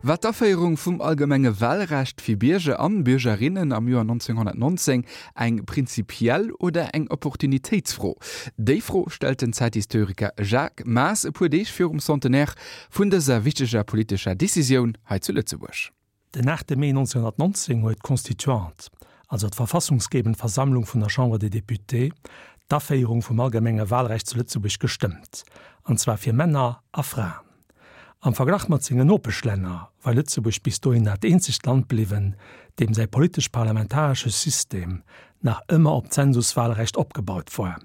War d'Aféierung vum allgemenge Wahlrecht fir Bierger an Biergerinnen am Joer 1919 eng prinzipiell oder eng Opportunitéitsfro? Déi Fro stellt den Zäithistoriker Jacques Maas e puer Deeg virum Centenaire vun dëser wichteger politescher Decisioun hei zu Lëtzebuerg. Den 8 Mee 1919 huet d'Constituante, also d'verfassungsgebend Versammlung vun der Chambre des Députés, d'Aféierung vum allgemenge Wahlrecht zu Lëtzebuerg gestëmmt, an zwar fir Männer a Fraen. Am Verglach mat sengen Nopeschlänner war Lëtzebuerg bis dohin dat eenzegt Land bliwwen, deem säi politesch-parlamentaresche System nach ëmmer op d'Zensuswahlrecht opgebaut war,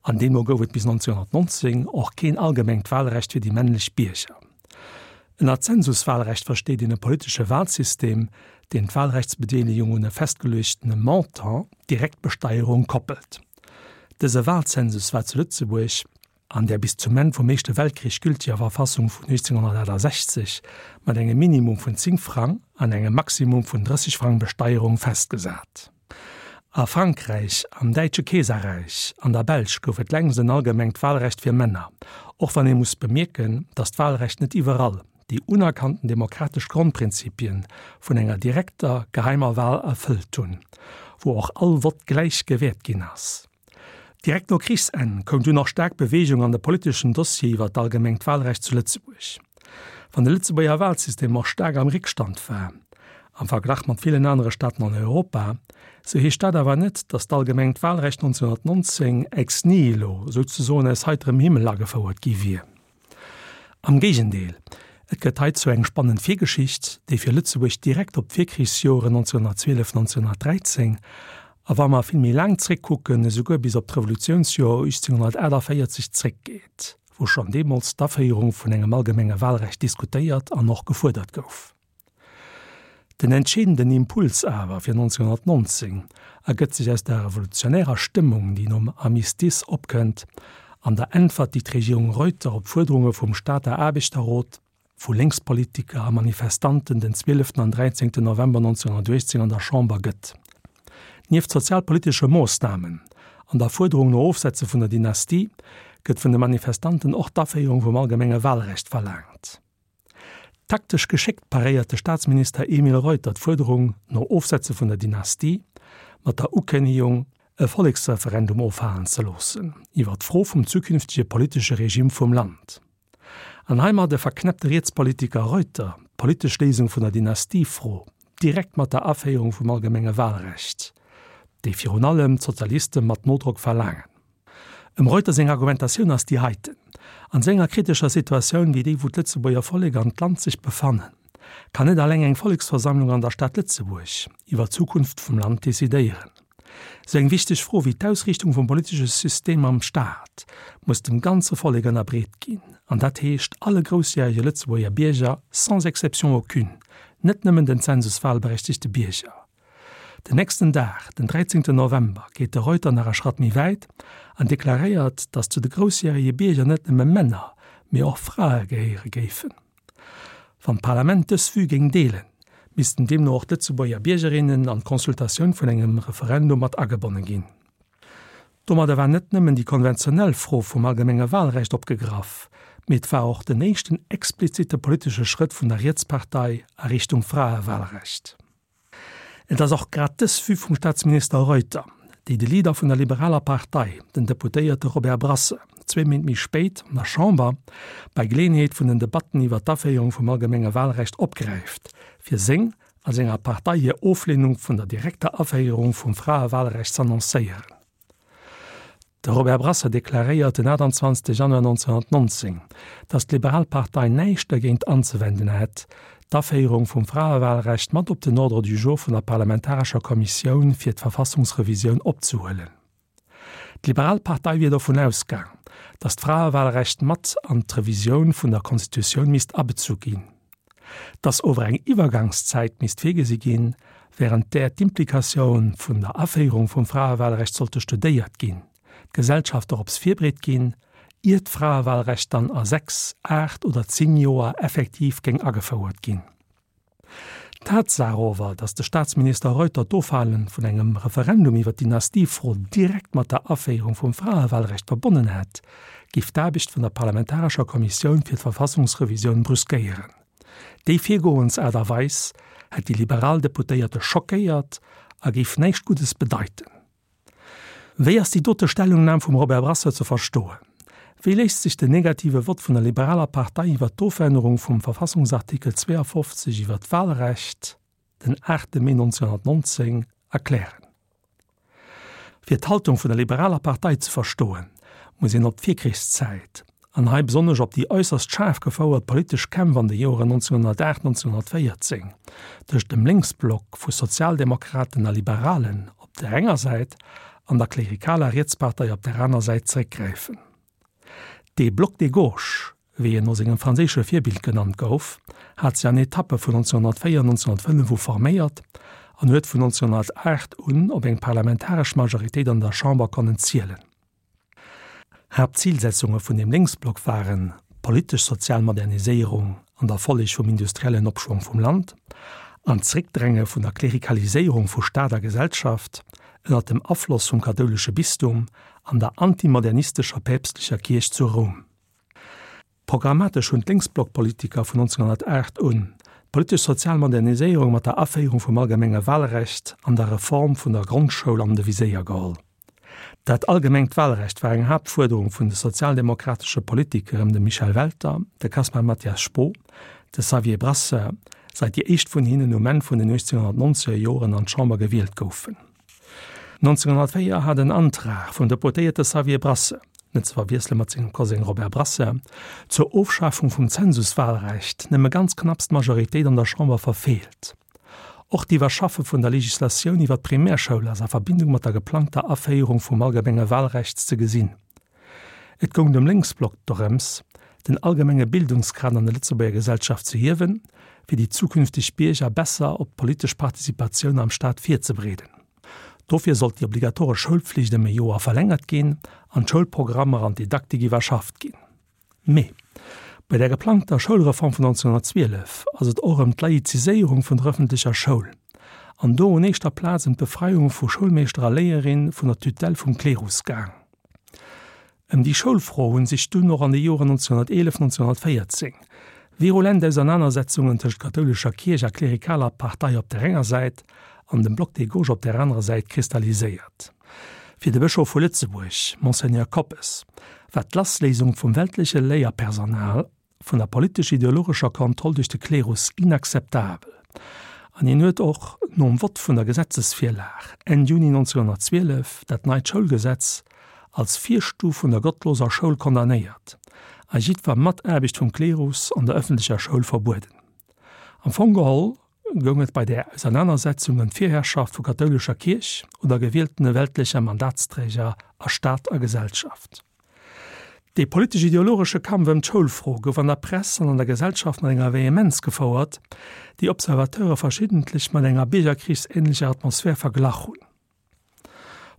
an deemno gouf et bis 1919 och keen allgemengt Wahlrecht fir déi männlech Bierger. Ënner Zensuswahlrecht versteet een e politesche Wahlsystem, deen d'Wahlrechtsbedeelegung un e festgeluechtene Montant, Direktbesteierung, koppelt. Dëse Wahlzensus war zu Lëtzebuerg, an där bis zum Enn vum Éischte Weltkrich gülteger Verfassung vun 1868 mat engem Minimum vun 10 Frang an engem Maximum vun 30 Frang Besteierung festgesat. A Frankräich, am Däitsche Keeserräich, an der Belsch gouf et längst en allgemengt Wahlrecht fir Männer, och wann ee muss bemierken, datt d'Wahlrecht net iwwerall déi unerkannten demokratesch Grondprinzipien vun enger direkter, geheimer Wahl erfëllt hunn, wou och all Vott gläich gewäert ginn ass. Direkt no Krichsenn koum dunn och staark Beweegung an de politeschen Dossier iwwer d'allgemengt Wahlrecht zu Lëtzebuerg. Wann de Lëtzebuerger Wahlsystem och staark am Réckstand war, am Verglach mat villen anere Staaten an Europa, sou heescht dat awer net, datt d'allgemengt Wahlrecht 1919 ex nihilo, souzesoen aus heiterem Himmel agefouert gi wier. Am Géigendeel, et gëtt heizou eng spannend Virgeschicht, déi fir Lëtzebuerg direkt op d'Virkrichsjoren 1912, 1913 a wa mer vill méi laang zréckkucken, esouguer bis op d'Revolutiounsjoer 1848 zréckgeet, wou schonn deemools d'Aféierung vun engem allgemenge Wahlrecht diskutéiert an och gefuerdert gouf. Den entscheedenden Impuls awer fir 1919 ergëtt sech aus der revolutionärer Stëmmung, déi nom Armistice opkënnt, an der Äntwert, déi d'Regierung Reuter op d'Fuerderunge vum Stater Aarbechterrot, vu Lénkspolitiker a Manifestanten den 12 an 13 November 1918 an der Chamber gëtt. Nieft sozialpolitesche Moossnamen an der Fuerderung no Ofsetze vun der Dynastie gëtt vun de Manifestanten och d'Aféierung vum allgemenge Wahlrecht verlaangt. Taktesch geschéckt paréiert de Staatsminister Emile Reuter d'Fuerderung no Ofsetze vun der Dynastie mat der Ukënnegung, e Volleksreferendum ofhalen ze loossen iwwer d'Fro vum zukünftege politesche Regime vum Land. An heimadde verknäppt de Rietspolitiker Reuter d'politesch Léisung vun der Dynastiefro direkt mat der Aféierung vum allgemenge Wahlrecht, déi virun allem d'Sozialiste mat Nodrock verlaangen. Em Reuter seng Argumentatioun ass déi heiten, An esou enger kritescher Situatioun wéi déi wou d'Lëtzebuerger Vollek an d'Land sech befannen, kann net alleng eng Volleksversammlung an der Stad Lëtzebuerg iwwer d'Zukunft vum Land decidéieren. Esou eng wichteg Fro wéi d'Ausriichtung vum politesche System am Staat muss dem ganze Vollek ënnerbreet ginn, an dat heescht alle groussjärege Lëtzebuerger Bierger sans exception aucune, net nëmmen den zensuswahlberechtigte Bierger. Den nächsten Dag, den 13 November, geet de Reuter nach e Schratt méi wäit an deklaréiert, datt zu de groussjärege Bierger net nëmme Männer, mee och Frae gehéiere géifen. Wann d'Parlament dës Vue géing deelen, missten deemno och d'Lëtzebuerger Biergerinnen an d'Consultatioun vun engem Referendum mat agebonne ginn. Domadder war net nëmmen déi konventionell Fro vum allgemenge Wahlrecht opgegraff, mee et war och den éischten explizite politesche Schrëtt vun der Rietspartei a Richtung Fraewahlrecht. Et ass och grad dës Vue vum Staatsminister Reuter, déi de Leader vun der liberaler Partei, den Deputéierte Robert Brasseur, zwee Méint méi spéit an der Chamber bei Geleeënheet vun den Debatten iwwer d'Aféierung vum allgemenge Wahlrecht opgräift, fir seng a senger Partei hir Oflehnung vun der direkter Aféierung vum Fraewahlrecht z'annoncéieren. De Robert Brasseur deklaréiert den 28 Januar 1919, datt d'Liberal Partei näischt dergéint anzewenden hätt, d'Aféierung vum Fraewahlrecht mat op den Ordre du jour vun der parlamentarescher Kommissioun fir d'Verfassungsrevisioun opzehuelen. D'Liberal Partei wier dovun ausgaang, datt d'Fraewahlrecht mat an d'Revisioun vun der Constitutioun misst abezu ginn. Dass ower eng Iwwergangszäit misst virgesi ginn, während där d'Implikatioun vun der Aféierung vum Fraewahlrecht sollte studéiert ginn, d'Gesellschaft dorops virbreet ginn, ier d'Fraewahlrecht dann a 6, 8 oder 10 Joer effektiv géing agefouert ginn. D'Tatsaach ower, dass de Staatsminister Reuter d'Ofhale vun engem Referendum iwwer d'Dynastiefro direkt mat der Aféierung vum Fraewahlrecht verbonnen hätt, géif d'Aarbecht vun der parlamentarescher Kommissioun fir d'Verfassungsrevisioun brüskéieren. Déi Virgoensaart a Weis hätt déi liberal Deputéierte schockéiert a géif näischt Guddes bedeiten. Wéi ass déi dote Stellungnam vum Robert Brasseur ze verstoen? Wéi léisst sech den negative Vott vun der liberaler Partei iwwer d'Ofännerung vum Verfassungsartikel 52 iwwer d'Wahlrecht den 8 Mee 1919 erklären? Fir d'Haltung vun der liberaler Partei ze verstoen, muss een op d'Virkrichszäit, an hei besonnesch op déi äusserst schaarf gefouert politesch Kämpf an de Joren 1908, 1914 tëscht dem Lénksblock vu Sozialdemokraten a Liberalen op där enger Säit an der klerikaler Rietspartei op där aner Säit zeréckgräifen. Dee Bloc de gauche, wéi en no sengem franséische Virbild genannt gouf, hat sech an Etappe vun 1904, 1905 u forméiert an huet vun 1908 un op eng parlamentaresch Majoritéit an der Chamber konnen zielen. Haaptzilsetzunge vun deem Lénksblock waren d'politesch-sozial Moderniséierung an der Folleg vum industriellen Opschwong vum Land an d'Zréckdränge vun der Klerikaliséierung vu Staat a Gesellschaft ënner dem Afloss vum kathoulesche Bistum an der antimodernistescher päpstlecher Kierch zu Roum. Programmatesch hunn d'Lénksblockpolitiker vun 1908 un d'politesch-sozial Moderniséierung mat der Aféierung vum allgemenge Wahlrecht an der Reform vun der Grondschoul an de Viséier geholl. Dat allgemengt Wahlrecht war eng Haaptfuerderung vun de sozialdemokratesche Politiker ëm de Michel Welter, de Caspar Mathias Spoo, de Xavier Brasseur, seit déi éischt vun hinnen um Enn vun den 1890er Joren an d'Chamber gewielt goufen. 1904 hat en Antrag vum Deputéierte Xavier Brasseur, net ze verwiessele mat sengem Koseng Robert Brasseur, zur Ofschafung vum Zensuswahlrecht nëmme ganz knapps d'Majoritéit an der Chamber verfeelt. Och d'Iwwerschaffe vun der Legislatioun iwwer d'Primärschoul ass a Verbindung mat der geplangter Aféierung vum allgemenge Wahlrecht ze gesinn. Et goung dem Lénksblock dorëms, den allgemenge Bildungsgrad an der Lëtzebuerger Gesellschaft ze hiewen, fir déi zukünfteg Bierger besser op d'politesch Participatioun am Staat virzebereeden. Dofir sollt déi obligatoresch Schoulpflicht ëm e Joer verlängert ginn an d'Schoulprogrammer an d'Didaktik iwwerschafft ginn. Mee bei der geplangter Schoulreform vun 1912 ass et och ëm d'Laiziséierung vun der ëffentlecher Schoul an do un éischter Plaz ëm d'Befreiung vu Schoulmeeschter a Léierin vun der Tutelle vum Klerus gaang. Ëm déi Schoulfro hunn sech dunn och an de Joren 1911, 1914 virulent Ausernanersetzungen tëscht kathoulescher Kierch a klerikaler Partei op der enger Säit an dem Bloc des gauches op der anerer Säit kristalliséiert. Fir de Bëschof vu Lëtzebuerg, Monseigneur Koppes, war d'Lassléisung vum weltleche Léierpersonal vun der politesch-ideologescher Kontroll duerch de Klerus inakzeptabel an hien huet och nom Vott vun der Gesetzesvirlag Enn Juni 1912 dat neit Schoulgesetz als Virstuf vun der gottloser Schoul condamnéiert a jiddwer Mataarbecht vum Klerus an der ëffentlecher Schoul verbueden. Am Fong geholl goung et bei där Ausernanersetzung ëm d'Virherrschaft vu kathoulescher Kierch oder gewieltene weltlecher Mandatsträger a Staat a Gesellschaft. Dee politesch-ideologesche Kampf ëm d'Schoulfro gouf an der Press an an der Gesellschaft mat enger Vehemenz gefouert, déi Observateure verschiddentlech mat enger biergerkrichsähnlecher Atmosphär verglach hunn.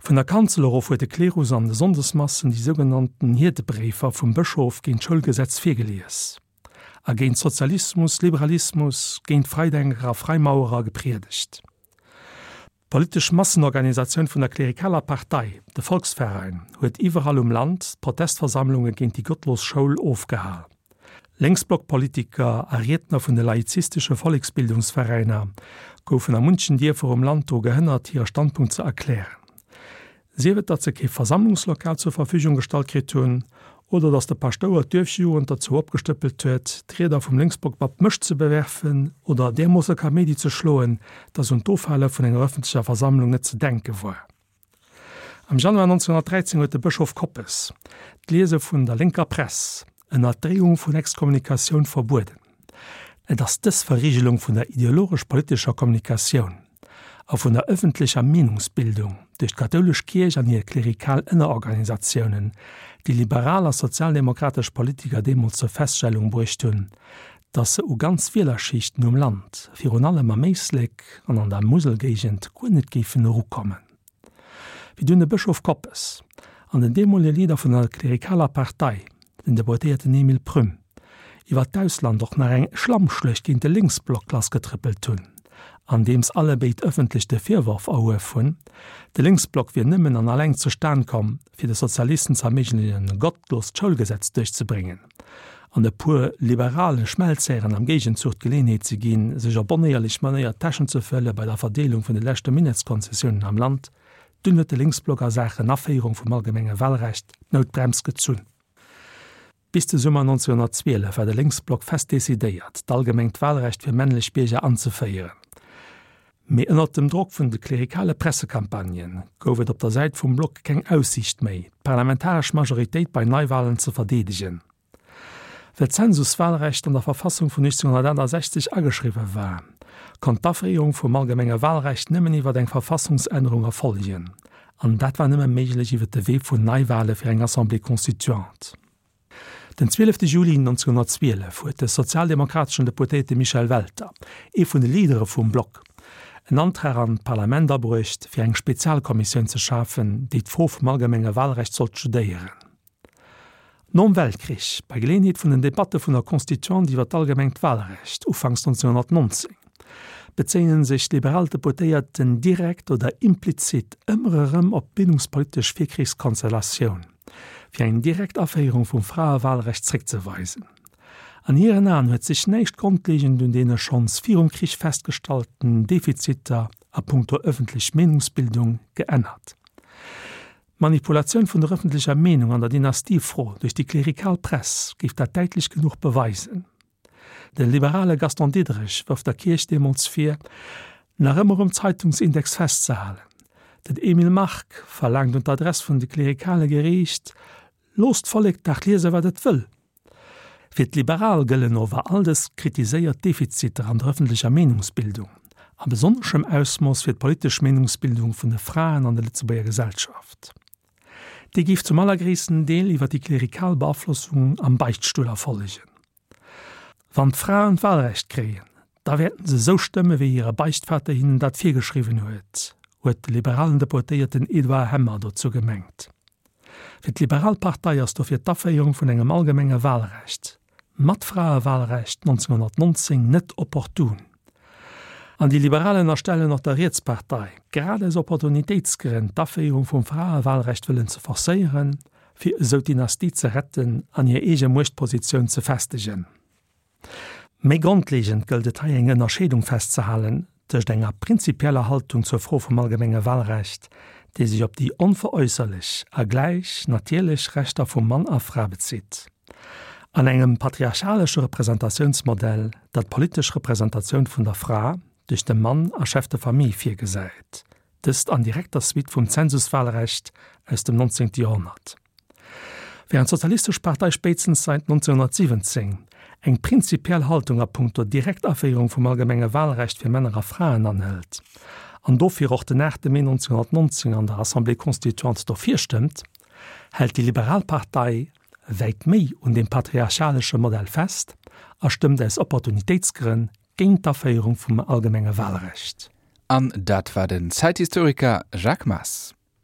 Vun der Kanzel erof huet de Klerus an de Sonndesmassen déi sougenannten Hiertebréifer vum Bëschof géint d'Schoulgesetz virgelies a géint Sozialismus, Liberalismus, géint Freidenker a Freimauerer gepriedegt. D'politesch Massenorganisatioun vun der klerikaler Partei, de Volksverein, huet iwwerall um Land Protestversammlunge géint déi gottlos Schoul ofgehal. Lénksblockpolitiker a Riedner vun de laizistesche Volleksbildungsveräiner goufen a munchen Dierfer um Land dru gehënnert, hire Standpunkt ze erklären. Sief et, datt se kee Versammlungslokal zur Verfügung gestallt kritt hunn, oder datt de Paschtouer d'Duerfjugend derzou opgestëppelt huet, d'Rieder vum Lénksblock mat Mëscht ze bewerfen oder därmoosse Kaméidi ze schloen, datt un d'Ofhale vun enger ëffentlecher Versammlung net ze denke war. Am Januar 1913 huet de Bëschof Koppes d'Liese vun der lénker Press ënner Dreeung vun Exkommunikatioun verbueden. Et ass dës Verrigelung vun der ideologesch-politescher Kommunikatioun a vun der ëffentlecher Meenungsbildung duerch d'kathoulesch Kierch an hir klerikal Ënnerorganisatiounen, déi liberal a sozialdemokratesch Politiker deemools zur Feststellung bruecht hunn, datt se u ganz Wielerschichten um Land, virun allem am Éislek an an der Muselgéigend, guer net géifen erukommen. Wéi dunn de Bëschof Koppes an den deemolege Leader vun der klerikaler Partei, den Deputéierten Emile Prüm, iwwer d'Ausland och nach eng Schlammschluecht géint de Lénksblock lassgetrëppelt hunn, andeems allebéid ëffentlech de Virworf erhuef hunn, de Lénksblock wier nëmmen an alleng zustan komm, fir de Sozialisten ze erméiglechen, e gottloost Schoulgesetz duerchzebréngen. An e puer liberale Schmelzhären am Géigenzuch d'Geleenheet ze ginn, sech op onéierlech Manéier d'Täschen ze fëlle bei der Verdeelung vun de leschte Minettskonzessiounen am Land. Dunn huet de Lénksblock a Saachen Aféierung vum allgemenge Wahlrecht d'Noutbrems gezunn. Bis de Summer 1912 war de Lénksblock fest decidéiert, d'allgemengt Wahlrecht fir männlech Bierger anzeféieren. Mee ënnert dem Drock vun de klerikale Pressecampagnen gouf et op der Säit vum Block keng Aussiicht méi, d'parlamentaresch Majoritéit bei Neiwahlen ze verdeedegen. Well d'Zensuswahlrecht an der Verfassung vun 1868 ageschriwwe war, konnt d'Aféierung vum allgemenge Wahlrecht nëmmen iwwer eng Verfassungsännerung erfollegen, an dat war nëmme méiglech iwwer de Wee vun Neiwahle fir eng Assemblée constituante. Den 12 Juli 1912 huet de sozialdemokrateschen Deputéierte Michel Welter, ee vun de Leadere vum Block, en Antrag an d'Parlament abruecht, fir eng Spezialkommissioun ze schafen, déi d'Fro vum allgemenge Wahlrecht sollt studéieren. Nom Weltkrich, bei Geleeënheet vun den Debatte vun der Constituante iwwer d'allgemengt Wahlrecht, ufanks 1919, bezéien sech d'liberal Deputéierten direkt oder implizit ëmmer erëm op d'bildungspolitesch Virkrichskonstellatioun, fir eng direkt Aféierung vum Fraewahlrecht zréckzeweisen. An hiren Aen huet sech näischt grondlegend un deene schonns virum Krich festgestallten Defiziter a punkto ëffentlech Meenungsbildung geännert. D'Manipulatioun vun der ëffentlecher Meenung an der Dynastiefro duerch déi klerikal Press géif dat däitlech genuch beweisen. De liberale Gaston Diderich wërft der Kierch deemools vir, nach ëmmer um Zeitungsindex festzehalen. Den Emile Mark verlaangt un d'Adress vun de Klerikale geriicht, Loosst d'Vollek dach liese wat et wëll! Fir d'Liberal gëllen ower all dës kritiséiert Defiziter an der ëffentlecher Meenungsbildung, a besonneschem Ausmooss fir d'politesch Meenungsbildung vun de Fraen an der Lëtzebuerger Gesellschaft. Déi géif zum allergréissten Deel iwwer déi klerikal Beaflossung am Beichtstull erfollegen. Wann d'Fraen d'Wahlrecht kréien, da wäerten se esou stëmme wéi hire Beichtvater hinnen dat virgeschriwwen huet, huet de liberalen Deputéierten Edouard Hemmer dozou gemengt. Fir d'Liberal Partei ass dofir d'Aféierung vun engem allgemenge Wahlrecht, mat Fraewahlrecht, 1919 net opportun. An déi Liberal ënnerstellen och der Rietspartei, grad aus Opportunitéitsgrënn d'Aféierung vum Fraewahlrecht wëllen ze forcéieren, fir esou d'Dynastie ze retten an hir eege Muechtpositioun ze festegen. Méi grondlegend gëllt et hei eng Ënnerscheedung festzehalen tëscht enger prinzipieller Haltung zur Fro vum allgemenge Wahlrecht, déi sech op déi onveräusserlech a gläich natierlech Rechter vu Mann a Fra bezitt, an engem patriarchalesche Representatiounsmodell, dat d'politesch Representatioun vun der Fra duerch de Mann a Chef de famille virgesäit, dëst an direkter Suite vum Zensuswahlrecht aus dem 19. Joerhonnert. Während d'Sozialistesch Partei spéitstens säit 1917 eng prinzipiell Haltung a punkto Direktaféierung vum allgemenge Wahlrecht fir Männer a Fraen anhëlt an dofir och den 8 Mee 1919 an der Assemblée constituante dofir stëmmt, hält déi Liberal Partei wäit méi un dem patriarchalesche Modell fest a stëmmt aus Opportunitéitsgrënn géint d'Aféierung vum allgemenge Wahlrecht. An dat war den Zäithistoriker Jacques Maas.